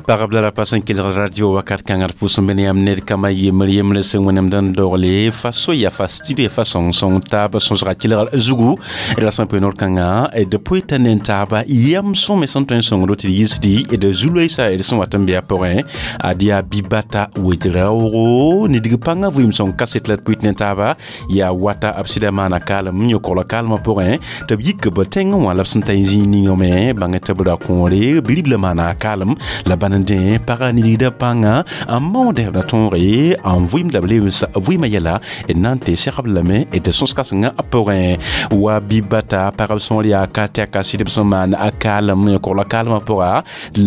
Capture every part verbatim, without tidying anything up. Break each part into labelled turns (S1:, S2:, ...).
S1: Pagb la rapa sẽn kelg radio wakat kãngr pʋʋs n be ne yãmb ned kambã yembr yembre sẽn wẽnem dãn dogle fa soya fa studio fa sõng-sõng taab sõsga kelgr zugu d rasmã poe noor kãngã d poe t'a ne taaba yam sõme sẽn tõe n sõngdo tɩ d yisdi d zu-loeesa d sẽn wat n be a pʋgẽ ad yaa Bibata Ouédraogo nidg pãngã vɩɩm sõng kaset la d pʋɩt ne taaba yaa wata b sɩda maana kaalem yõ-kogla kaalmã pʋgẽ tɩ b yik b tẽngẽ wã la b sẽn ta n zĩig ninga me bãng tɩ b ra kõore biribla maana a kaalem la bãn n dẽ pagã nidgda pãnga n maoodɛ b ra tõoge n vɩɩmda b lebs vɩɩmã yɛla d na n tɩ segb lame d sõs-kãsengã pʋgẽ wa Bibata pagb sõor yaa ka tɛka sɩdb sẽn maan a kaalem yõ-kogla kaalmã pʋga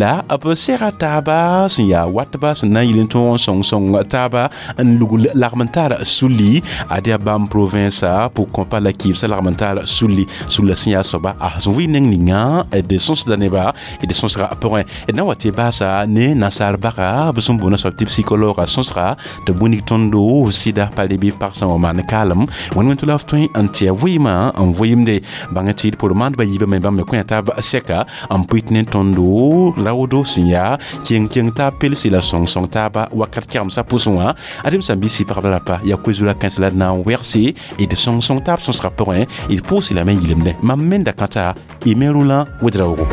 S1: la b sega taaba sẽn yaa watba sẽn na n yɩl n tõog n sõng-sõng taaba n lugl lagm n tar sulli ad yaa bãmb province pʋg-kõpa la kɩɩbsã lagm n tar sulli sulla sẽn yaa soaba a sẽn vɩ neng ninga d sõsda neba d sõsga pʋgẽ d na wa tɩ baasa ne nasaar baga b sẽn boona soab tɩ psychologue sõsga tɩ bũnig tõndo sɩda pa leb pag sẽn wa maan kaalem wẽn-wẽn tɩ la f tõe n tɩ a vɩɩmã n vɩɩmde bãng tɩ d pʋr maandbã yiibã me bãmb me kõ taab sɛka n pʋɩt ne tõndo raoodo sẽn yaa keng-keng taab pelsi la sõng-sõng taaba wakat kɛgemsã pʋsẽ wã adem sã n bɩ sɩ pagb la rapa yaa koe-zura kãens la d na n wɛgse d sõng-sõng taab sõsgã pʋgẽ d pʋʋsɩ lame n yilemdẽ mam menda kãta y me Roland Ouédraogo.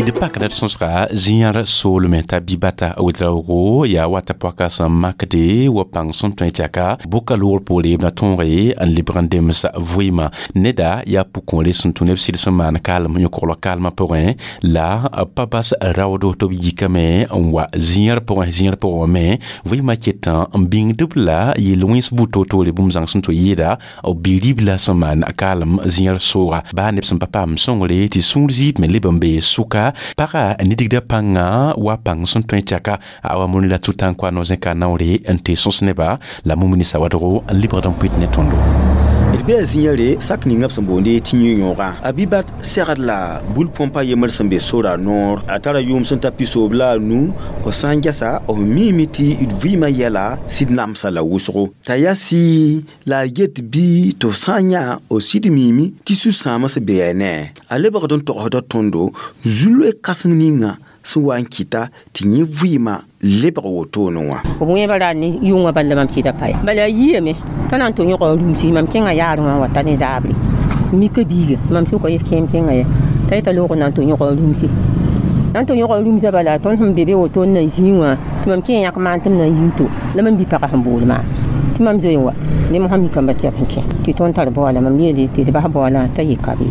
S1: D pakda d sõsga zĩyãr soolmẽ t'a Bibata Ouédraogo yaa wata pɔka sẽn makde wa pãng sẽn tõe tɩ aka bʋka loogr poore b na tõoge n lebg n dems vɩɩmã neda yaa pʋ-kõore sẽn tũ neb sɩd sẽn maan kaalem yõ-koglg kaalmã pʋgẽ la pa bas raoodo tɩ b yikame n wa zĩyãr pʋgẽ zĩyãr pʋgẽ wã me vɩɩmã ketã n bĩngdb la yel-wẽns buud toor-toore bũmb zãng sẽn tɩ yɩɩda b bi-ribla sẽn maan kaalem zĩyãr sooga baa neb sẽn pa paam sõngre tɩ sũur zɩɩb me leb n bee sʋka pagã nidgda pãngã wa pãng sẽn tõe tɩ aka a wa moni la tʋ-tãn-koa no-zẽka naoore n tɩ sõs neba la mumini sawadgo n lebgd n pʋɩt ne tõndo.
S2: D bee a zĩyã sak ninga b sẽn boonde tɩ yũ-yõogã a Bibat segd la bul-põmpa yembr sẽn be sora noor a tara yʋʋm sẽn ta pisoob la a nu f sã n gɛsa f miime tɩ d vɩɩmã yɛla sɩd namsa la wʋsgo t'a yaa sɩɩ la a get bɩ tɩ f sã n yã f sɩd miime tɩ sũ-sãams bee ne a lebgd n togsda tõndo zu-loe kãseng ninga sẽn wa n kɩta tɩ yẽ vɩɩmã lebg wotone wã.
S3: B wẽeba ra ne yʋngã bala mam sɩda pa ya bala a yiame t'a na n tɩ yõga rũmsi mam kẽngã yaarẽ wã wa ta ne zaabre mika biiga mam sʋka yef kẽem kẽngã ya t'a yeta loog na n tɩ yõga rũmsi na n tɩ yõga rũmsã bala tõnd sẽn be be woto n na n zĩig wã tɩ mam kẽ yãk maan tɩ m na n yĩng to la mam bi pagã sẽn bool maam tɩ mam zoe n wa ne mosã mikãmba tɩ b sẽn kẽ tɩ tõnd tar baoola mam yeele tɩ d bas baoolã t'a yeka be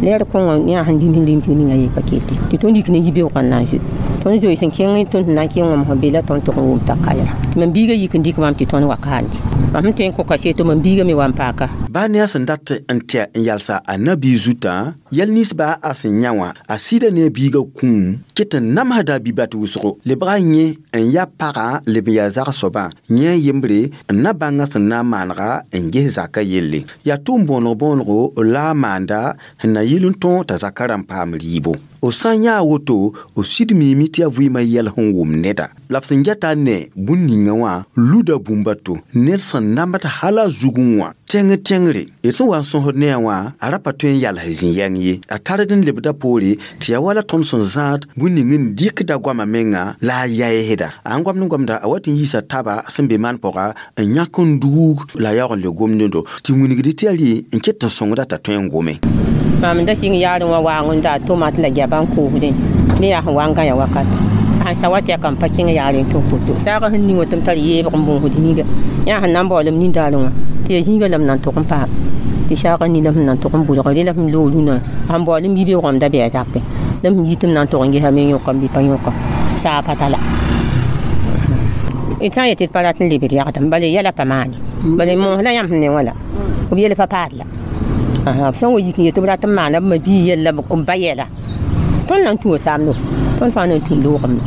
S3: leer kõngã yã sẽn lim sẽn limsg ninga ye pa kete tɩ tõnd yik ne yibeoogã n na n zoe tõnd zoe sẽn kẽng tõnd sẽn na n kẽng wã mosã be la tõnd tʋg n wʋm t'a ka yaa tɩ mam biigã yik n dɩk maam tɩ tõnd wa kaande mam sẽn tõe n kõ kaseto mam biigã me wa n paaka.
S2: Baa ne a sẽn dat n tɛ n yalsa a nabiig zutã yɛl ninsba a sẽn yã wã a sɩda ne a biigã kũum ket n namsda a Bibat wʋsgo lebga yẽ n ya pagã leb n yaa zag-soabã yẽ a yembre n na bãngã sẽn na n maanega n ges zakã yelle yaa tʋʋm bõonego bõonego la a maanda sẽn na yɩl n tõog t'a zakã rãmb paam rɩɩbo f sã n yã a woto f sɩd miime tɩ yaa vɩɩmã yɛl sẽn wʋm neda la f sẽn gɛta ne bũn ninga wã luda bũmba to ned sẽn namd hala a zugẽ wã tẽng tẽngre d sẽn wa n sõsd ne a wã a ra pa tõe n yals zĩ-yɛng ye a tard n lebda poore tɩ yaa wala tõnd sẽn zãad bũn ning n dɩkda goamã menga la a yaeesda a n goamd n goamda a wat n yiisa taba sẽn be maan pʋga n yãk n duug la a yaoog n le gomdendo tɩ wilgd tɩ yaa rɩ n ket n sõngda t'a tõe n gome.
S3: Mam da sɩng yaarẽ wã waang n daa tomat la goaba n koosdẽ ne yaa sẽn wa n gã ya wakat sãn sa wa tɩ ya kam pa kẽng yaarẽ n tũ koto saagã sẽn ning wã tɩ m tar yeebg n bõosd zĩiga yã sẽn na n baoolem nindaarẽ wã tɩ yaa zĩiga la m na n tʋg n paam tɩ saagã ni la m na n tʋg n bʋdg re la m loog rũnã sãn baoolem yibeoogame da bɩ a zakẽ la m yi tɩ m na n tʋg n gesa me yõkam bɩ pa yõka saa pa ta la d sã n yetɩ d pa rat n lebd yagdem bala yɛla pa maane bala moos la yãmb sẽn ne wã la b yel pa paad la b sẽn wa yik n yetɩ b rat n maana b ma-bii yɛlla b ba yɛla tõnd na n tũu saamdo tõnd fãa na n tũu loogame.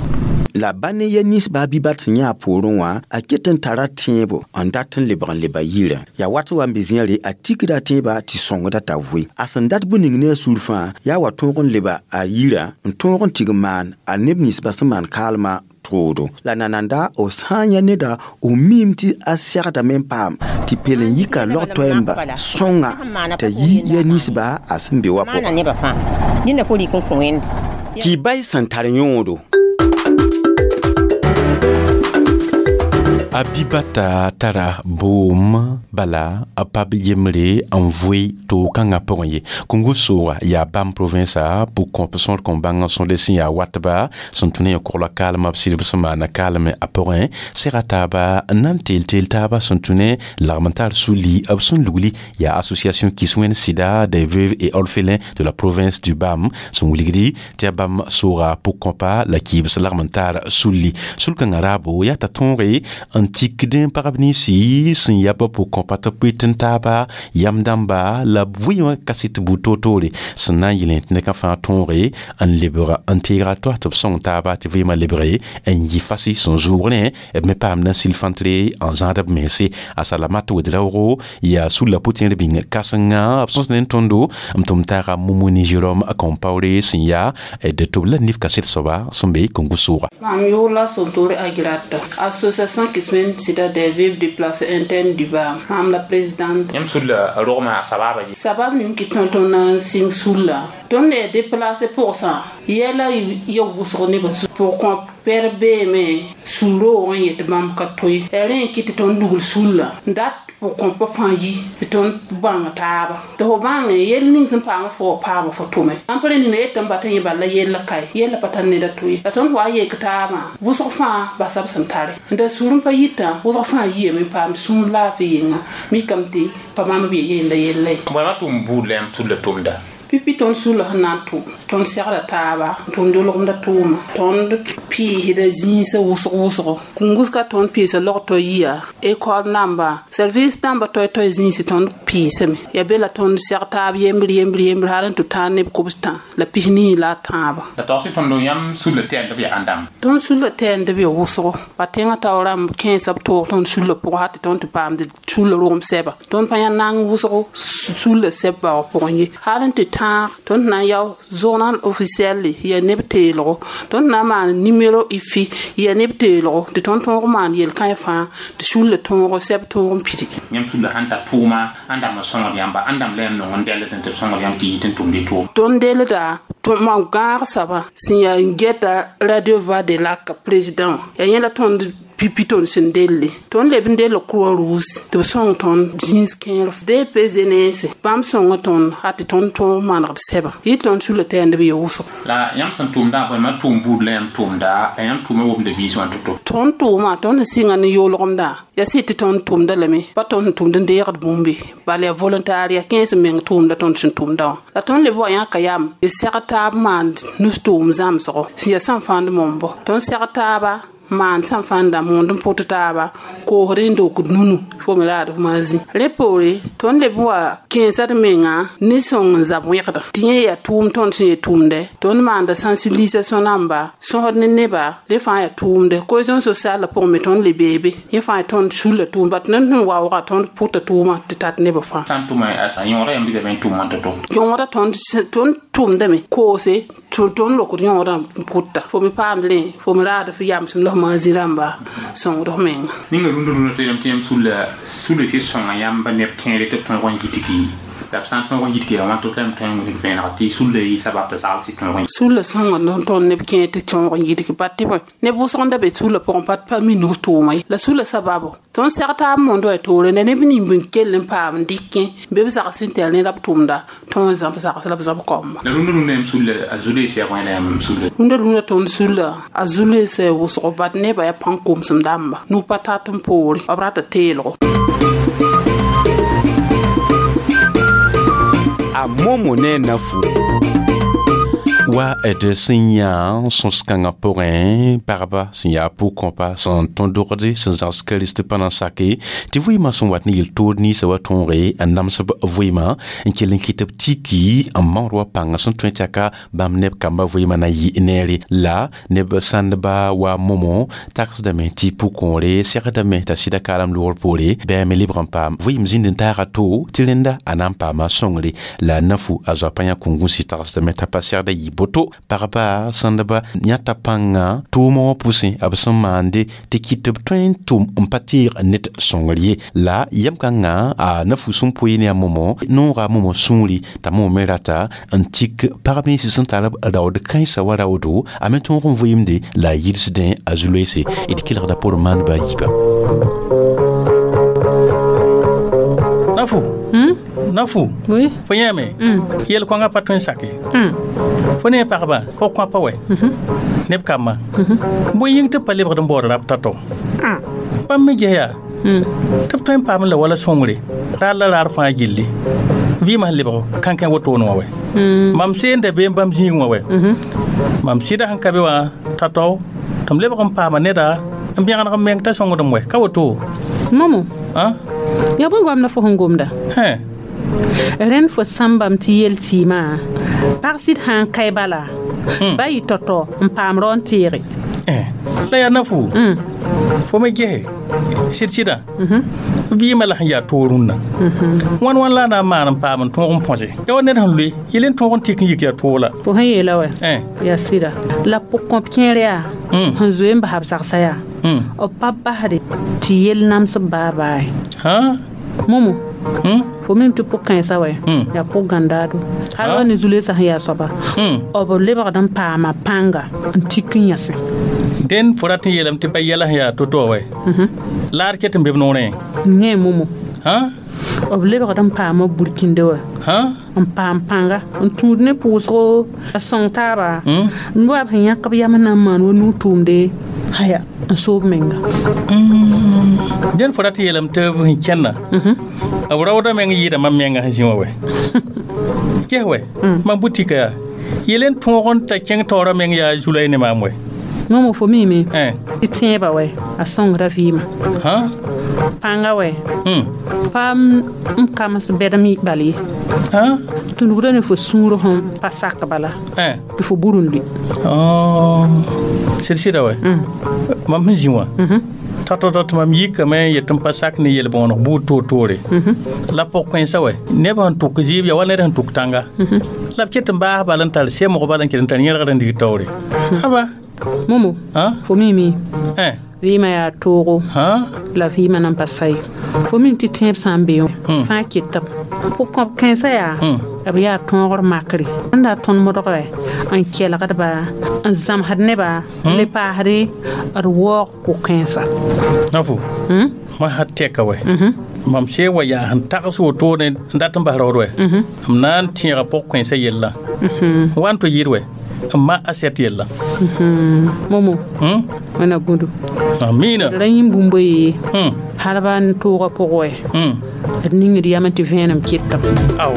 S2: La ba ne yɛl ninsba a Bibat sẽn yã a poorẽ wã a ket n tara tẽebo n dat n lebg n leba yirã yaa wat sẽn wa n be zĩyã a tikda tẽebã tɩ sõngda t'a vʋɩ a sẽn dat bũn ning ne a sũur fãa yaa wa tõog n leba a yirã n tõog n tig n maan a neb ninsba sẽn maan kaalmã. toodo la nananda b sã n yã neda b miime tɩ a segdame n paam tɩ pel n yika log toɛɛmba sõnga t'a yi ya ninsba a sẽn be wa
S3: maana
S2: pʋga
S3: nebã fãa dẽnda fo rɩk n kõ wẽnd
S2: kibay sẽn tar yõodo
S1: Abibata tara boom bala a pab yembre n vʋɩ toog-kãngã pʋgẽ ye Kungu sooga yaa bãmb provinsa pʋg-kõp sõor kõn bãng n sõde sẽn yaa watba sẽn tũ ne yã kogla kaalmã b sɩdb sẽn maana kaalme a pʋgẽ sega taaba n na n teel teel taaba sẽn tũ ne lagm n tar suli b sẽn lugli yaa association Kiswẽn Sida des veuves et orphelins de la province du Bam sẽn wilgdi tɩ yaa bãmb sooga pʋg-kõpa la kɩɩbs lagm n tar sulli sul-kãngã raabo yaa t'a tõoge n tikd n pagb ninsi sẽn yab pʋg-kõpa tɩ pʋɩt n taaba yam dãmba la b vɩ wã kaset buud toor-toore sẽn na n yɩl tɩ neka fãa tõoge n lebg n teega toa tɩ b sõng taaba tɩ vɩɩmã lebge n yɩ fasi sẽn zʋʋgrẽ b me paamd n sɩl fãntre n zãad b mense a salamat wed-raoogo yaa sulla pʋ-tẽer bĩng kãsenga b sõs ne n tõndo n tʋm taaga Mumuni Jérôme Compaoré sẽn yaa d tʋb la nif kaset soaba sẽn be Kongo sʋʋga
S4: Mam yʋʋr la Sontore Agirata, Association Kiswẽn Sida des veuves déplacées internes du Bam. Mam la présidente.
S5: Yãmb sulla rogmã sababa ye
S4: Sabab ning kɩ tõnd tõnd na n sɩng sulla. Tõnd ne déplacé pʋgsã yɛla ya wʋsg nebã pʋg-kõp pɛr beeme sul-roogã n yet tɩ bãmb ka toe yaa rẽ n kɩt tɩ tõnd lugl sulla n dat pʋg-kõpã fãa yi tɩ tõnd bãng taaba tɩ fo bãnge yell ning sẽn paama fo wa paama fo tʋme ãmb pa rẽ nina yetame bata yẽ bala yella kae yella pa tar neda to ye la tõnd wa yek taabã wʋsg fãa basa b sẽn tare n da sũur n pa yitã wʋsg fãa yiyame n paam sũur laafɩ yĩnga mikame tɩ pa bãmb b ye yenda yella ye
S5: bõe tʋʋm buud la yãmb sulla tʋmda
S4: pipi tõnd sulla sẽn na n tʋm tõnd segda taaba tõnd dolgemda tʋʋma tõnd pɩɩsda zĩisã wʋsg wʋsgo kũnguska tõnd pɩɩsa log-toy yia école namba service namba toy-toy zĩisi tõnd pɩɩsame ya be la tõnd seg taab yembr yembr yembr hal n tɩ tãag neb kobs tã la pis-nii la a tãabã
S5: la tags tõnd yãmb sulla tɛɛnd b yaa ãn dãmb
S4: tõnd sulla tɛɛnd b ya wʋsgo pa tẽngã taoor rãmb kẽesa b toog tõnd sulla pʋgẽ hal tɩ tõnd tɩ paamd sulla rogem sɛba tõnd pa yã nang wʋsgo sulla sɛb baoog pʋgẽ ye hal n tɩ tãag tõnd na n yao journal officiel ya neb teelgo tõnd na n maan numéro ifi ya neb teelgo tɩ tõnd tõog maan yel-kãe fãa tɩ sulla tõogo sɛb tõog n pidi
S5: yãmb sulla sãn tar tʋʋma ãn dãmb n sõngd yãmba ãn dãmb la yãmb nong n dɛlд tɩ b sõngd yãmb tɩ yit n tʋmd y tʋʋm
S4: tõnd dellda mam gãag saba sẽn yaa n gɛta radio voix de lac président yaa yẽ la tõnd pipi tõnd sẽn delle tõnd leb n dell croix rouge tɩ b sõng tõnd zĩis kẽer D P jeunesse bãmb sõnga tõnd a tɩ tõnd tõog manegd sɛba yɩ tõnd sulla tɛɛnd b ye wʋsg
S5: la yãmb sẽn tʋmdã bõe tʋʋm buud la yãmb tʋmda la yãmb tʋʋma womda biis wã to-to
S4: tõnd tʋʋma tõnd sẽn sɩnga ne yoolgemdã yaa sɩd tɩ tõnd tʋmda lame pa tõnd sẽn tʋmd n deegd bũmbe bala yaa volontariat kẽes n meng tʋʋmda tõnd sẽn tʋmda wã la tõnd leb wa yãka yam d seg taab maand nus-tʋʋm zãmsgo sẽn yaa sãn fãnd mombo tõnd seg taaba maan sãn fãnda moond n pʋt taaba koosd n dokd nunu fo me raad f maazĩ rẽ poore tõnd leb n wa kẽesa d menga ne sõng n zab wẽgda tɩ yẽ yaa tʋʋm tõnd sẽn ye tʋʋmdɛ tõnd maanda sensibilisation namba sõsd ne neba rẽ fãa yaa tʋʋmdɛ cohésion sociale la pʋgẽ me tõnd le beebe yẽ fãa yaa tõnd sulla tʋʋm bat ned sẽn waooga tõnd pʋta tʋʋmã tɩ tat nebã fãa
S5: sã n tʋma a yõoda yãmb bɩ n tʋʋm wã to-to
S4: yõoda tõnd tõnd tʋʋmdame koose tõnd lokd yõodã n pʋta fo me paamd rẽ fo me raad f yamsem la f maazĩ rãmba sõngd f menga
S5: ninga rũndã rũndã tɩ yãmb tɩ yãmb sulla sulla tɩ sõnga yãmba neb kẽere tɩ b tõeg n yitgi la b sã n tõeg n yitgi wã to tɩ tõe n wilg vẽeneg tɩ sulla yɩ sabab tɩ zagl tɩ tõeg n
S4: sulla sõnga tõnd neb kẽer tɩ tõog n yitg bat tɩ bõe neb wʋsg n da be sulla pʋgẽ pa pa mi nus tʋʋma ye la sulla sababo tõnd seg taab mondo ya toore ne neb ning n kell n paam n dɩkẽ be b zags n tɛl ne la b tʋmda tõnd zãb zags la b zãb kaoamba
S5: la rũndã rũndã yãmb sulla a zuleesã wã la yãmb sulla
S4: rũndã rũndã tõnd sulla a zuleesã wʋsgo bat nebã yaa pãng komsem dãmba nug pa tat n poore b rata teelgo
S2: a momo ne nafu
S1: Wa d sẽn yã sõs-kãngã pʋgẽ pagba sẽn yaa pʋg-kõpa sẽn tõnd dogde sẽn zãgs kirist pa na n sake tɩ vɩɩmã sẽn wat ne yel-toor ninsã wa tõoge n nams b vɩɩmã n kell n kɩt b tiki n maood wa pãngã sẽn tõe tɩ aka bãmb neb kambã vɩɩmã na yɩ neere la neb sãndba wa momo tagsdame tɩ pʋg-kõore segdame t'a sɩda kaalem loogr poore bɩ me lebg n paam vɩɩm zĩnd n taaga to tɩ rẽnda a na n paama sõngre la nafu a zoa pa yã kũngũsi tagsdame t'a pa segda yɩ Boto pagba sãndba yãta pãnga tʋʋmã wã pʋsẽ b sẽn maande tɩ kɩt tɩ b tõe n tʋm n pa tɩɩg ned sõngr ye la yam kãngã a nafu sẽn poe ne a momo nooga momo sũuri t'a momo me rata n tik pagb nins sẽn tar b raood kãensã wa raoodo a me tõog n vɩɩmde la a yidsdẽ a zu-loeese d kelgda pʋr maandba a yiiba.
S6: Nafu.
S4: Hmm?
S6: Nafu.
S4: Oui.
S6: Fo yãame. Yel kõngã pa tõe n sake.
S4: Hmm.
S6: Fo ne pagba pʋg-kõapa wɛ. Neb kambã. Bõe yĩng tɩ b pa lebgd n baood rab tao-tao. Bãmb me ges yaa tɩ b tõe n paam la wala sõngre raar la raar fãa gilli vɩɩmã sẽn lebg kãnkẽ wotone wã wɛ. Mam seenda be n bãmb zĩig wã wɛ. Mam sɩda sẽn ka be wã tao-tao tɩ m lebg n paama neda n bẽgeneg m meng t'a sõngdem wɛ ka woto.
S4: Momo.
S6: Ã?
S4: Ya bõe goamda fo sẽn gomda?
S6: Hẽ.
S4: Rẽnd fo sãmbame tɩ yel tɩɩmã pag sɩd sã n kae bala ba yɩ tao-tao n paam rao n teege.
S6: La yaa nafu. Fo me gese sɩd sɩdã vɩɩmã la sẽn yaa toog rũnnã wãn wãn la a na n maan n paam n tõog n põse ya wa ned sẽn loe yel n tõog n tik n yik yaa toog la.
S4: Fo sẽn yeela wɛ yaa sɩda la pʋg-kõp kẽer yaa sẽn zoe n basa b sagsa yaa b pa basde tɩ yel namsb baa baa ye. Momo fo mim tɩ pʋg-kãensã wɛ yaa pʋg-gãndaado hal wa ne zu-loeesã sẽn yaa soaba b lebgd n paama pãnga n tik n yãsẽ.
S6: Dẽn fo rat n yeelame tɩ pa yɛla sẽn yaa to-to wɛ laar ket n be b noorẽ.
S4: Yẽ momo b lebgd n paama burkĩnde wɛ n paam pãnga n tũud ne pʋʋsgo a sõng taaba n wa b sẽn yãk b yam na n maan wa nuu tʋʋmde haya n soob menga.
S6: Dẽn fo rat n yeelame tɩ b sẽn kẽnna b raoodã meng yɩɩda mam menga sẽn zĩ wã wɛ ges wɛ mam butika yaa yel n tõog n ta kẽng taoorã meng yaa zulay ne maam wɛ.
S4: Momo fo miime tɩ tẽebã wɛ a sõngda vɩɩmã pãnga wɛ pa n kams bɛdem bal ye tũnugda ne fo sũur sẽn pa sak bala tɩ fo bur n lʋɩ.
S6: Sɩd sɩda wɛ mam sẽn zĩ wã tao-tao tɩ mam yikame n yet n pa sak ne yel-bõoneg buud toor-toore la pʋg-kãensã wɛ neb sẽn tʋk zɩɩb yaa wa ned sẽn tʋk tãnga la b ket n baas bal n tar semg bal n ket n tar yẽlgd n dig taoore aba.
S4: Momo fo mime vɩɩmã yaa toogo la vɩɩmã nan pa sa ye fo mim tɩ tẽeb sã n be fãa ketame pʋg-kõp kãensã yaa b yaa tõogr makre n da tõnd modgɛ n kelgdba n zãmsd neba n le paasde d waoog pʋg-kãensã.
S6: Nafu ma sã tɛka wɛ mam see wa yaa sẽn tags wotone n dat n bas raood wɛ m na n tẽega pʋg-kãensã yellã wa n tɩ yɩɩd wɛ n ma assiette yella.
S4: Momo wẽna gũdu
S6: amiina
S4: d ra yĩm bũmb ye hal ba n toogã pʋgẽ wɛ d ningd yam tɩ vẽenem ketame.
S6: Ao.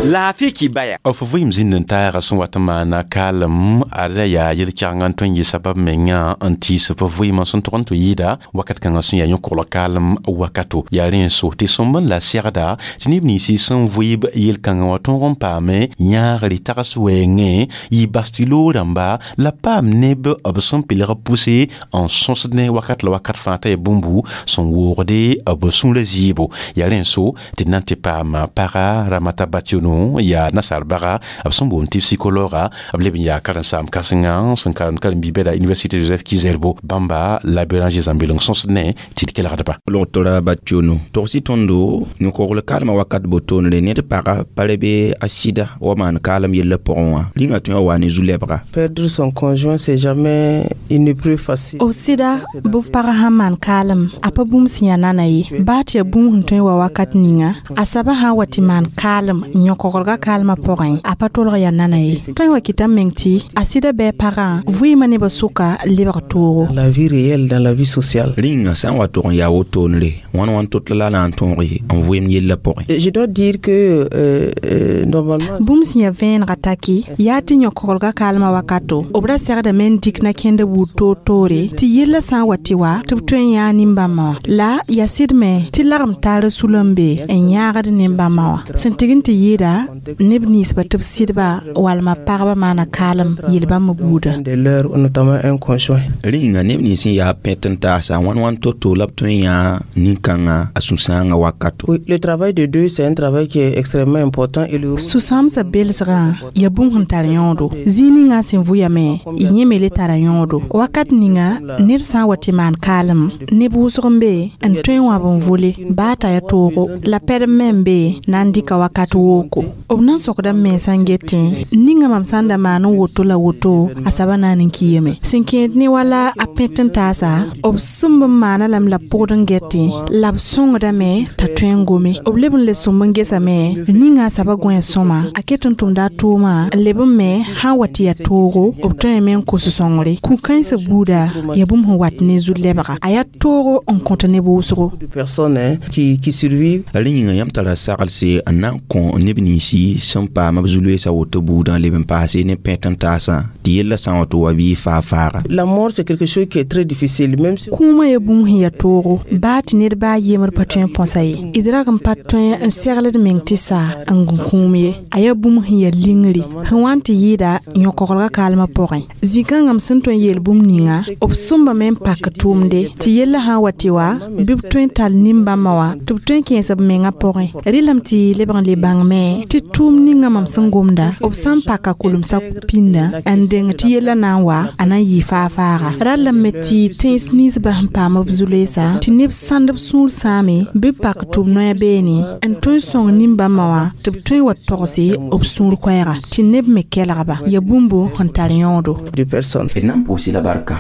S2: Laafɩ kɩ baya.
S1: F vɩɩm zĩnd n taaga sẽn wat n maana kaalem ada yaa yel-kɛgengã n tõe n yɩ sabab menga n tiis f vɩɩmã sẽn tog n tɩ yɩɩda wakat kãngã sẽn yaa yõ-kogl kaalem wakato yaa rẽ n so tɩ sõmb n la segda tɩ neb ninsi sẽn vɩɩb yel-kãngã wã tõog n paame yãagre tags wɛɛngẽ yɩ bas tɩ loog rãmba la paam neb b sẽn pelg pʋse n sõsd ne wakat la wakat fãa t'a yaa bũmbu sẽn woogde b sũurã zɩɩbo yaa rẽ n so tɩ d na n tɩ paam paga Ramata Bationo yaa nasaar baga b sẽn boond tɩ psikologa b leb n yaa karen-saam kãsenga sẽn karemd karen-biibã la université Joseph Kizerbo bãmba la Béranger Zambeleng sõsd ne tɩ d kelgdba.
S7: Logtora Bationo togsi tõndo yõ-kogl kaalmã wakat botoonre ned paga pa re be a sɩda wa maan kaalem yellã pʋgẽ wã rĩngã tõe n wa ne zu-lɛbga.
S8: Perdre son conjoint, c'est jamais une épreuve facile.
S9: B sɩda bɩ f pag sãn maan kaalem a pa bũmb sẽn yaa nana ye baa tɩ yaa bũmb sẽn tõe n wa wakat ninga a soaba sã n wa tɩ maan kaalem n yõ-koglga kaalmã pʋgẽ a pa tolg yaa nana ye tõe n wa kɩta m meng tɩ a sɩda bɩ a pagã vɩɩmã nebã sʋka lebg toogo.
S8: La vie réelle dans la vie sociale.
S7: Rĩngã sã n wa tog n yaa wotoonre wãn wãn tot la na n tõoge n vɩɩm yellã pʋgẽ.
S8: Je dois dire que euh, euh, normalement
S9: bũmb sẽn yaa vẽenega taki yaa tɩ yõ-koglga kaalmã wakato b ra segdame n dik na-kẽndã buud toor-toore tɩ yellã sã n wa tɩ wa tɩ b tõe n yãag nin-bãmbã wã la yaa sɩd me tɩ lagem taara sulem be n yãagd nin-bãmbã wã sẽn tɩg n tɩ yɩɩda bala neb ninsba tɩ b sɩdba walma pagba maana kaalem yel bãmb buuda.
S8: De leur, notamment un conjoint.
S7: Rĩnga neb nins sẽn yaa pẽt n taasa wãn wãn to-to la b tõe n yã nin-kãngã a sũ-sãangã wakato.
S8: Oui, le travail de deuil, c'est un travail qui est extrêmement important et le
S9: Sũ-sãamsã belsgã ya bũmb sẽn tar yõodo. Zĩig ninga sẽn vʋyame, y yẽ me le tara yõodo. Wakat ninga ned sã n wa tɩ maan kaalem, neb wʋsg n be n tõe n wãb n vole baa t'a ya toogo la pɛdem me n be na n dɩka wakat wooko. B na n sokda m mensã n getẽ ninga mam sã n da maan n woto la woto a saba naan n kiame. Sẽn kẽed ne wala a pẽt n taasa, b sũmb n maana lame la b pʋgd n getẽ la b sõngdame t'a tõe n gome. B leb n le sõmb n gesame ninga a saba gõe sõma a ket n tʋmda a tʋʋma n leb n me sã n wa tɩ ya toogo b tõeme n kos sõngre. Kũ-kãensã buuda ya bũmb sẽn wat ne zu-lebga, a yaa toogo n kõt neb wʋsgo.
S8: De personnes, hein, qui, qui survivent.
S7: La rẽ yĩnga yãmb tara saglse n na n kõ neb ninsi sẽn paam b zu-loeesã woto buudã leb n paase ne pẽt n taasã tɩ yellã sã n wa tɩ wa bɩ faa-faaga.
S8: La mort, c'est quelque chose qui est très difficile, même si
S9: Kũumã ya bũmb sẽn yaa toogo baa tɩ ned baa yembr pa tõe n põsa ye. D rag n pa tõe n segld meng tɩ saa n gũ kũum ye. A yaa bũmb sẽn yaa lingri sẽn wa n tɩ yɩɩda yõ-koglgã kaalmã pʋgẽ. Zĩ-kãngã m sẽn tõe n yeel bũmb ninga, b sõmbame n pak tʋʋmde tɩ yellã sã n wa tɩ wa bɩ b tõe n tall nin-bãmbã wã tɩ b tõe n kẽes b mengã pʋgẽ. Rɩlame tɩ lebg n le bãngme tɩ tʋʋm ninga mam sẽn gomda, b sã n paka kulemsã pĩnda n deng tɩ yellã na n wa a na n yɩ faa-faaga. Rallame tɩ tẽns ninsbã sẽn paam b zu-loeesa tɩ neb sãnd b sũur sãame bɩ b pak tʋm noya beene n tõe n sõng nin-bãmbã wã tɩ b tõe n wa togse b sũur koɛɛga tɩ neb me kelgba ya bũmbo sẽn tar yõodo.
S8: De personnes.
S7: D na n pʋʋs-y la barka.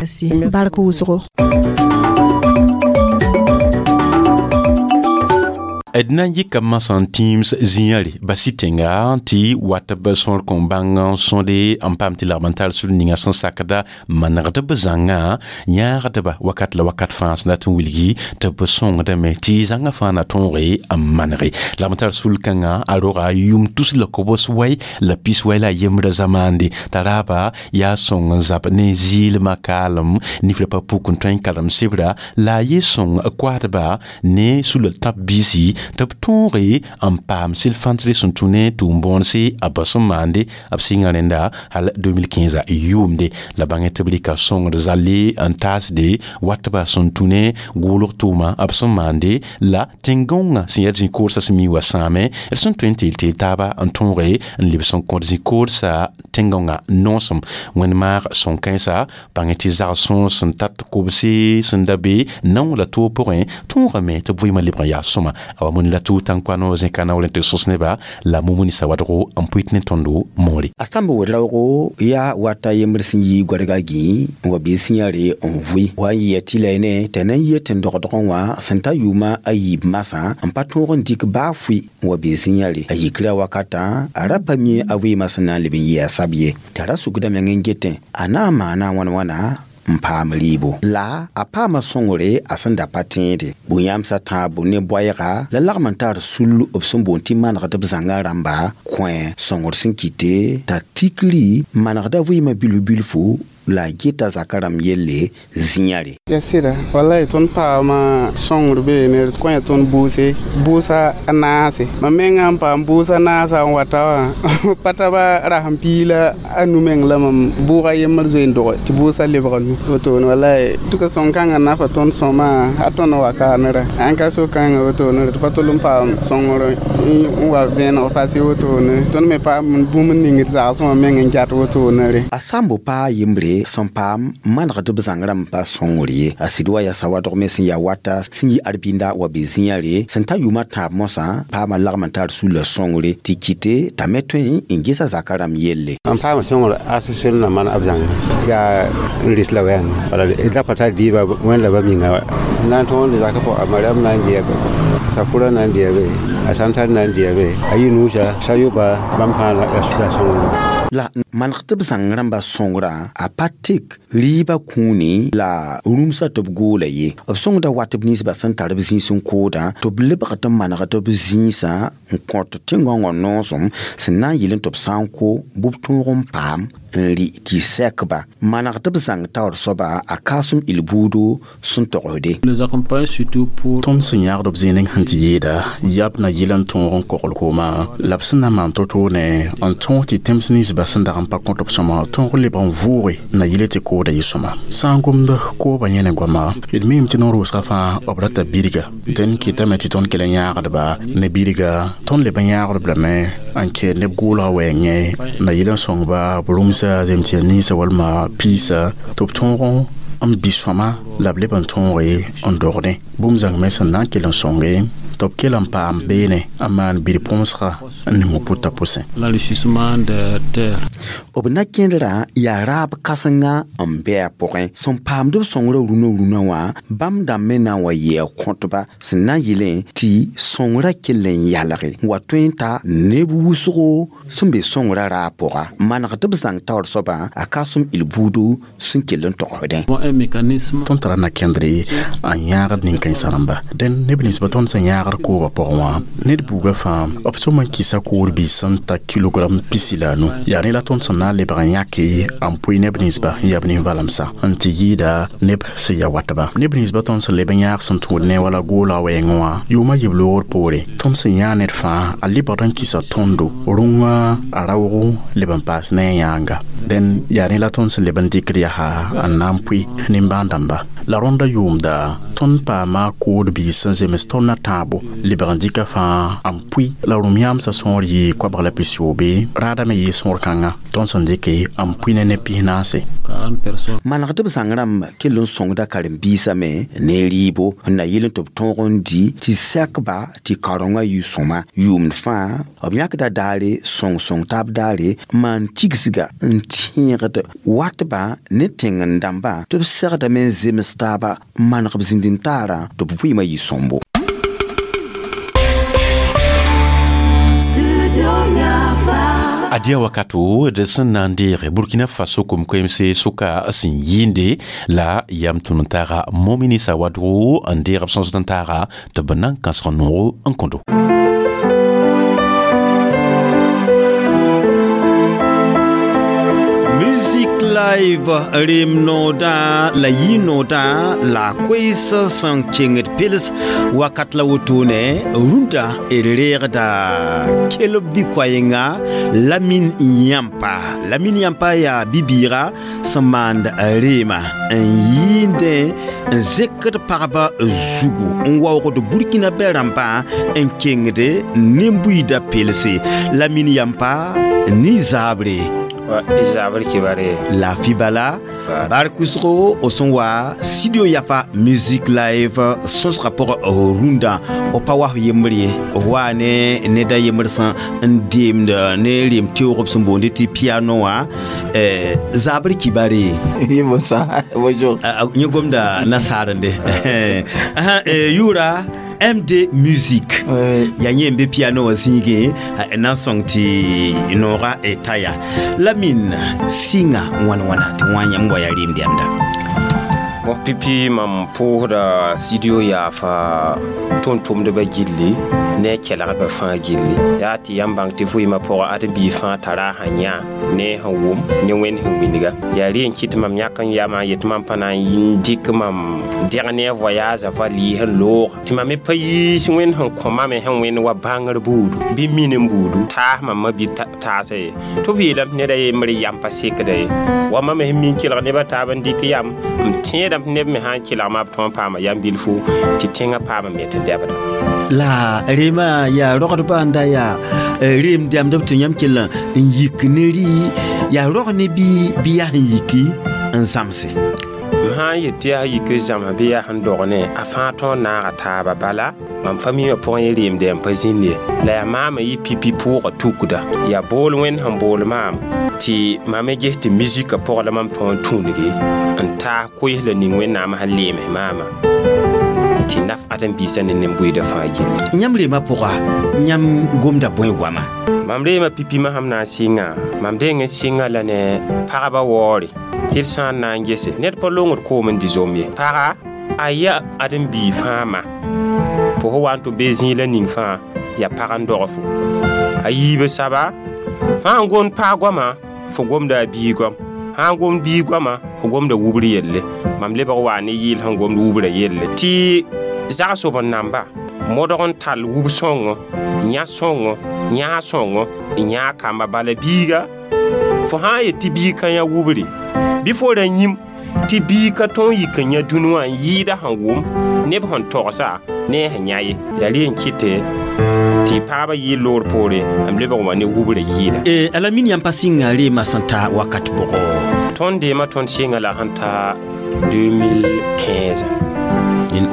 S9: Bark wʋsgo.
S1: D na n yika masã n tĩims zĩiã re basi tẽnga tɩ wat b sõor kõn bãng n sõde n paam tɩ lagm n tar sul ninga sẽn sakda manegd b zãngã yãagdba wakat la wakat fãa sẽn dat n wilgi tɩ b sõngdame tɩ zãngã fãa na tõoge n manege. Lagm tar sul kãngã a roga yʋm tus la kobs wai la pis wai la a yembra zamaande t'a raaba yaa sõng n zab ne zɩɩlmã kaalem nifra pa puk n tõe n karem sebra la a ye sõng koaadba ne sula tãb biisi tɩ b tõoge n paam sel-fãnsre sẽn tũ ne tʋʋm-bõonse a ba sẽn maande b sɩnga rẽnda hal deux mille quinze yʋʋmde la bãngẽ tɩ b rɩka sõngd zalle n taasde watba sẽn tũ ne gʋʋlg tʋʋma b sẽn maande la tẽn-gãongã sẽn yaa zĩ-koodsã sẽn mi wa sãame d sẽn tõe n teel teel taaba n tõoge n lebs n kõt zĩ-koodsã tẽn-gãongã noosem wẽnd-maag sõn-kãensa bãngẽ tɩ zag-sõor sẽn tat kobse sẽn da be nao la toog pʋgẽ tõogame tɩ b vɩɩmã lebg n yaa sõma a wa mõni la tʋ tãn-koano zẽkana wala tɩ sõs neba la mumuni sawadgo n pʋɩt ne tõndo moore.
S2: A sãmb wed-raoogo yaa wata yembr sẽn yi goadga gĩ n wa bɩ sẽyã re n vʋɩ wa n yɩa tɩ la ne t'a na n yɩ tẽn dogdgẽ wã sẽn ta yʋʋma a yiib masã n pa tõog n dɩk baa fʋɩ n wa bɩ sẽyã re a yikra wakatã a ra pa mi a vɩɩmã sẽn na n leb n yɩ a sab ye t'a ra sukda meng n getẽ a na n maana wãn wãna n paam rɩɩbo la a paama sõngre a sẽn da pa tẽede bũ-yãmsã tãabo ne boɛɛga la lagm n tar sul b sẽn boond tɩ manegd b zãngã rãmba kõ sõngr sẽn kɩte t'a tikri manegda vɩɩmã bilf bilfu la a geta zaka rãmb yelle zĩyã re.
S10: Ya sɩda wallahi tõnd paama sõngr beene d kõ tõnd bʋʋse bʋʋsa a naase mam mengã n paam bʋʋsa naasa n wata wã pa taba rasem pii la a nu meng la mam bʋʋga yembr zoe n doge tɩ bʋʋsa lebga nu wotone wallahi tʋka sõng-kãngã nafa tõnd sõma a tõnd wa kaanera ãn ka so-kãngã wotone tɩ pa tol n paam sõngr n wa vẽeneg fase wotone tõnd me paam bũmb n ning d zagsẽ wã meng n gat wotone re.
S2: A sãmbo paa yembre sẽn paam manegd b zãng rãmb pa sõngr ye a sɩd wa yaa sawadg me sẽn yaa wata sẽn yi arbinda wa be zĩyã re sẽn ta yʋʋmã tãab mosã paama lagm n tar sulla sõngre tɩ kɩte t'a me tõe n gesa zaka rãmb yelle.
S11: N paam sõngr association na man b zãng yaa n rɩt la wɛɛn bala da pa tar dɩɩba wẽnd la ba minga na n tõog n zaka pʋgã a mariam na n dɩa sakura na n dɩa be a santar na n dɩa be a yɩ nuusa sayoba bãmb fãa la sõngr.
S2: La maneg tɩ b zãng rãmbã sõngrã a pa tek rɩɩbã kũuni la rũmsã tɩ b goola ye b sõngda wat b ninsbã sẽn tar b zĩis n koodã tɩ b lebg tɩ maneg tɩ b zĩisã n kõt tẽn-gãongã noosem sẽn na n yɩl tɩ b sã n ko bɩ b tõog n paam n rɩ tɩ sɛkba maneg tɩ b zãng taoor soaba a kaasem il buudo sẽn togsde.
S12: Tõnd sẽn yãagd b zĩig sẽn tɩ yeeda yab na yɩl n tõog n kogl kooma la b sẽn na maan to-to ne n tõog tɩ tẽms ninsbã sẽn dag n pa kõt b sõma tõog lebg n vʋʋge na yɩl tɩ kooda yɩ sõma sã n gomd kooba yẽ ne goama d miime tɩ no-rʋʋsgã fãa b rata birga dẽn kɩtame tɩ tõnd kell n yãagdba ne birga tõnd leb n yãagdb lame n kɛɛ neb goolga wɛɛngẽ na yɩl n sõngba b rũmsa zemtɩ ninsã walma piisa tɩ b tõog n bɩ sõma la b leb n tõoge n dogdẽ bũmb zãng me sẽn na n kell n sõnge tɩ b kell n paam beene n maan bir-põsga n ning pʋta pʋsẽ.
S2: B na kẽedrã yaa raab kãsenga n bɩ a pʋgẽ sẽn paamd b sõngrã rũnã rũnã wã bãmb dãmb me na n wa yɩ a kõtba sẽn na n yɩlẽ tɩ sõngrã kell n yalge n wa tõe n ta neb wʋsgo sẽn be sõngrã raab pʋga maneg tɩ b zãng taoor soabã a kaasem il buudo sẽn kell n togsdẽ.
S12: Tõnd tara na kẽndre n yãagd nin-kãensã rãmba dẽn neb ninsbã tõnd sẽn yãagd kooba pʋgẽ wã ned buugã fãa b sõm n kɩsa koor biis sẽn ta kilogram pisi la a nu yaa ne la tõnd sẽn na n lebg n yãke n pʋɩ neb ninsba n yaa b nin-valemsã n tɩ yɩɩda neb sẽn ya watba neb ninsbã tõnd sẽn leb n yãag sẽn tũud ne wala goola wɛɛngẽ wã yʋʋmã yib loogr poore tõnd sẽn yãag ned fãa a lebgd n kɩsa tõndo rũngã a raoogo leb n paas ne a yãanga dẽn yaa ne la tõnd sẽn leb n dɩkd yaa n na n pʋɩ nimbãan-dãmba la rõnda yʋʋmda tõnd paama kood biis sẽn zems tõnd na tãabo lebg n dɩka fãa n pʋɩ la rũm yãamsã sõor yɩ koabg la pisoobe raada me yɩ sõor kãnga tõnd sẽn dɩke n pʋɩ ne neb pis-naase.
S2: Maneg tɩ b zãng rãmb kell n sõngda karen-biisã me ne rɩɩbo n na yɩl n tɩ b tõog n dɩ tɩ sɛkba tɩ kaorengã yɩ sõma yʋʋmd fãa b yãkda daare sõng-sõng taab daare n maan tigsga n tẽegd watba ne tẽng-n-dãmbã tɩ b segdame n zems taaba n maneg b zĩnd-n-taarã tɩ b vɩɩmã yɩ sõmbo.
S1: Adia wakato d sẽn na n deege Burkina Faso kom-koemse sʋka sẽn yɩɩnde la yam tʋm n taaga Momini Sawadogo n deeg b sõsd n taaga tɩ b na n kãsg noogo n kõdo.
S2: Live rem noodã la yɩ noodã la koees sẽn kẽngd pels wakat la wotone rũndã d reegda kelb bɩ-koɛɛnga Lamine Yãmpa. Lamine Yãmpa yaa bi-bɩɩga sẽn maand reema n yɩɩndẽ n zekd pagba zugu n waoogd Burkina bɛ rãmbã n kẽngde nin-buiidã pelse. Lamine Yãmpa ni zaabre
S13: zabr kibare
S2: la fibala barkusro o sẽn wa studio Yafa Music Live sõsga pʋgẽ rũndã o pa wa yembr ye wa ne neda yembr sẽn n deemd ne rem teoog b sẽn boonde tɩ piano wã zabr kibare.
S13: Bonjour.
S2: Yẽ gomda nasaarende yʋʋra M D Music ya yẽ n be piano wã zĩigẽ na n sõng tɩ noogã ta yaa Lamine sɩnga wãn wãna tɩ wã yãmb wa yaa rɩɩm dɛmda.
S13: Bon pipi mam pʋʋsda studio Yafa tʋm-tʋmdbã gilli ne a kelgdbã fãa gilli yaa tɩ yãmb bãng tɩ vɩɩmã pʋgã ad-n-biig fãa tara a sẽn yã ne sẽn wʋm ne wẽnd sẽn wilga yaa rẽ n kɩt mam yãk n yamã n yet mam pa na n dɩk mam dẽg ne a voyage va lɩɩs n loog tɩ mam me pa yiis wẽnd sẽn kõ mame sẽn wẽnd wa bãngr buudu bɩ min n buudu taas mam ma bɩ taasa ye tɩ b yeelame tɩ neda yembr yam pa sekda ye wa mam sẽn min kelg nebã taab n dɩk yam m tẽedame tɩ neb me sã n kelgma b tõe n paama yam bilfu tɩ tẽngã paama me tɩ lebda.
S2: La rema yaa rogdbã n da yaa reem dɛmdb tɩ yãmb kell n yik ne rɩ yaa rog ne bɩ bɩ yaa sẽn yiki n zãmse.
S13: M sã n yet tɩ yaa yik n zãms bɩ yaa sẽn dog ne a fãa tõog naaga taaba bala mam fa miimã pʋgẽ yẽ reemde n pa zĩnd ye la yaa maamã yɩ pipi pʋʋga tukda yaa bool wẽnd sẽn bool maam tɩ mam me ges tɩ mizikã pʋgã la mam tõog n tũudge n taas koees la ning wẽnnaam sẽn leems maamã tɩ naf ãdem-biisã ne nin-buiidã fãa gilli.
S2: Yãmb reemã pʋga yãmb gomda bõe goama?
S13: Mam reemã pipimã sãm na n sɩnga mam deng n sɩnga la ne pagba waoore tɩ d sã n na n gese ned pa longd koom n dɩ zom ye paga a yaa ãdem-biig fãa ma fo fo wa n tɩ be zĩig la ning fãa yaa pag n dog fo a yiibã saba fãa n gomd pag goamã fo gomda a bii goam sã n gomd bii goamã fo gomda wubr yelle mam lebg waa ne yɩɩl sẽn gomd wubra yelle tɩ zagsob n namba modg n tall wub sõngo yã sõngo yãag sõngo n yãag kamba bala biiga fo sã n yet tɩ biig ka yã wubre bɩ fo ra yĩm tɩ biig ka tõog yik n yã dũni wã n yɩɩda sẽn wʋm neb sẽn togsa ne a sẽn yã ye yaa rẽ n kɩte tɩ pagbã yɩɩl loor poore n lebg n wa ne wubra yɩɩda
S2: Alamine yãmb pa sɩnga reemã sẽn ta wakat pʋgɔ
S13: tõnd deemã tõnd sɩnga la sẽn ta deux mille quinze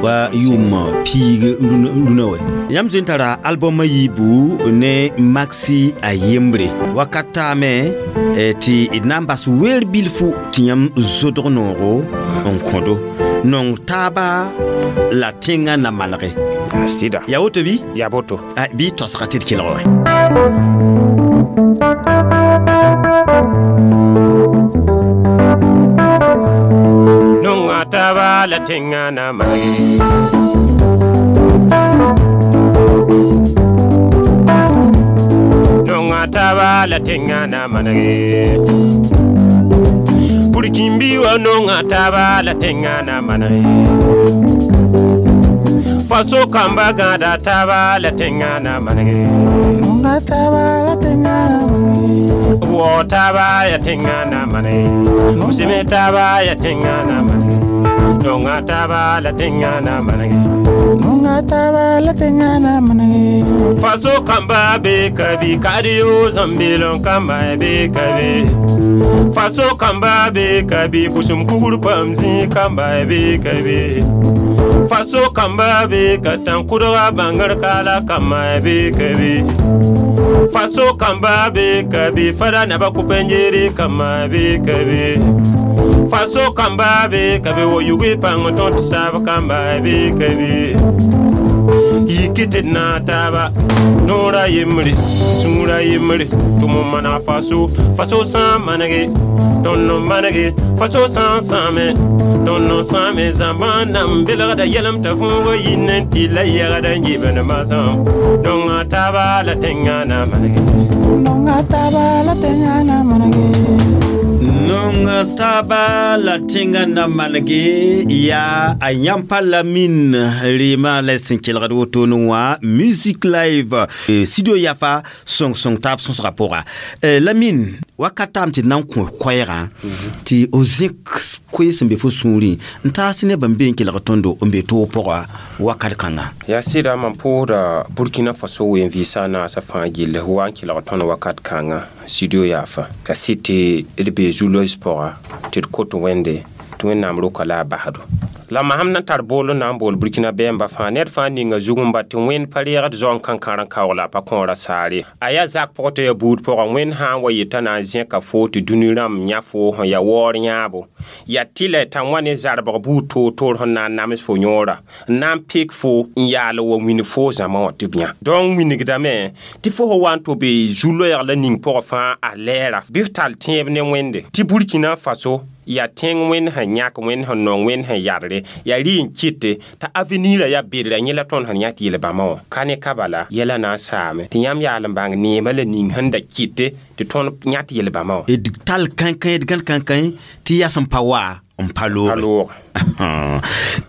S2: wa yʋʋm piig rũnã wɛ yãmb zoe n tara albɔmã yiibu ne maxi a yembre wakat taame tɩ d na n bas weer bilfu tɩ yãmb zodg noogo n kõdo nong taaba la tẽngã na manege
S13: sɩda
S2: yaa woto bɩ
S13: yaa boto
S2: bɩ tosga tɩ d kelg wɛ
S13: nonga taaba la tẽngã na manege nonga taaba la tẽngã na manege burkimbi wa nonga taaba la tẽngã na manege faso kamba gãada taaba la tẽngã na manege
S10: nonga taaba la tẽngã na manege
S13: wɔ taaba ya tẽngã na manege musime taaba ya tẽngã na manege nonga taaba la tẽngã na manege
S10: nonga taaba la tẽngã na manege
S13: faso kamba be kabi kadiyo zambelon kamba be kabi faso kamba be kabi busum kugur pam zĩ kamba be kabi faso kamba be ka tãn-kʋdga bãngr kaala kamba be kabi faso kamba be kabi fada naba kʋ-pẽnjeere kamba be kabi faso kamba be kabi wa yugi pãng tõt saab kamba be kabi yiki tɩ d naag taaba noora yembre sũurã yembre tɩ m maneg faso faso sã n manege tõnd n manege faso sã n sãame tõnd n sãame zãmbã nan belgda yɛlem t'a võoga yĩnd n tɩ la yɛgda n yibd masã nonga taaba la tẽngã na manege
S10: nonga taaba la tẽngã na manege
S2: nong taaba la tẽngã na manege yaa a yãmpa Lamine reemã la sẽn kelgd wotone wã music live studio yafa sõng-sõng taab sõsga pʋga Lamine wakat taam tɩ d na n kõ koɛɛgã tɩ o zẽk koe sẽn be fo sũurẽ n taas tɩ nebã n be n kelg tõndo n be toog pʋga wakat kãnga
S13: yaa sɩda mam pʋʋsda Burkina Faso wen-vɩɩsã naasã fãa gill wa n kelg tõnd wakat kãnga studio yaafa ka sɩd tɩ d bee zu-loees pʋga tɩ d kot wẽnde tɩ wẽnnaam roka la a basdo la masam na tar bool n na n bool Burkina bɛɛmbã fãa ned fãa ninga zug n ba tɩ wẽnd pa reegd zaong kãnkãr n kaoog la a pa kõora saare a yaa zak pʋgẽ tɩ yaa buud pʋgã wẽnd sã n wa yeta na n zẽka foo tɩ dũni rãmb yã foo sẽn yaa waoor yãabo yaa tɩlɛ t'a wã ne zarbg buud toor-toor sẽn na n nams fo yõora n na n pek fo n yaal wa wĩnd fo zãma wã tɩ b yã donc wingdame tɩ fo sẽn wa n tɩ be zu-loɛɛg la ning pʋgẽ fãa a lɛɛra bɩ f tall tẽeb ne wẽnde tɩ Burkina Faso yaa tẽng wẽnd sẽn yãk wẽnd sẽn nong wẽnd sẽn yadre yaa rɩ n kɩte t'a avenir yaa bedra yẽ la tõnd sẽn yã tɩ yel-bãmba wã ka ne ka bala yɛla na n saame tɩ yãmb yaal n bãng neemã la ning sẽn da kɩte tɩ tõnd yã tɩ yel-bãmba wã
S2: d tall kãnkã d gãn kãnkã tɩ yaa sẽn pa wa n pa looge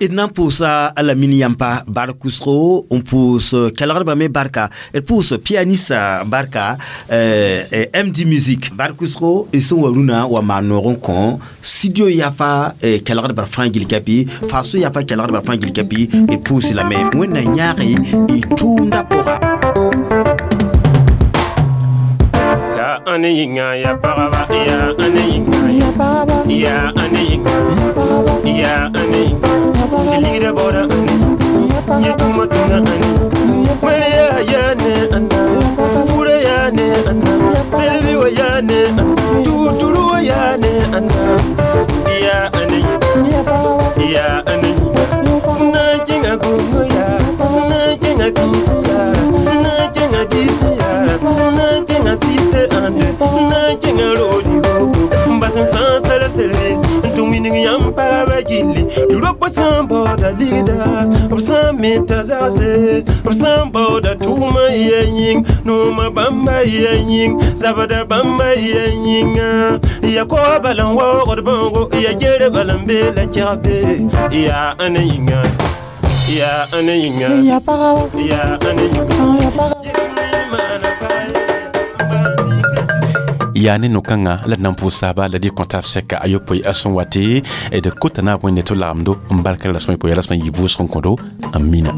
S2: d na n pʋʋsa a Lamine yãmpa bark wʋsgo n pʋʋs kelgdbã me barka d pʋʋs pianiste barka M D Music bark wʋsgo d sẽn wa rũnã wa maan noog n kõ studio yafa kelgdbã fãa gil kapi faso yafa kelgdbã fãa gil kapi d pʋʋs lame wẽnna yãag y tʋʋmdã pʋga
S13: ya ane yĩnga ya pagba ya ane yĩnga ya ane yĩnga ya ane yĩnga tɩ ligda baooda ane yẽ tʋʋma tũna ane wẽnd yaa yaa ne ãnda fura yaa ne ãnda telbi wa yaa ne ãnda tuturu wa yaa ne ãnda ya ane yĩnga ya ane yĩnga na n kẽnga gongo yaa na n kẽnga kĩisi yaa na n kẽnga diisi yaa na n kẽnga site ãnde na n kẽnga roodi
S14: gilli tɩ robã sã n baooda ligda b sã n meta zagse b sã n baooda tʋʋmã ya yĩng noomã bãmba ya yĩng zabda bãmba ya yĩnga ya koa bal n waoogd bãoogo ya ger bal n bee la kɛgbe yaa ãne yĩnga yaa ãne yĩnga
S9: Ya paga
S14: yaa ãne yĩnga
S9: ya paga
S1: Yaa ne no-kãngã la d na n pʋʋs taaba la dɩ kõ taab sɛka a yopoe a sẽn wa tɩ d kota naab wẽnde tɩ b lagemdo n bark rasmã poe rasmã yɩ vʋʋsg n kõdo n mina.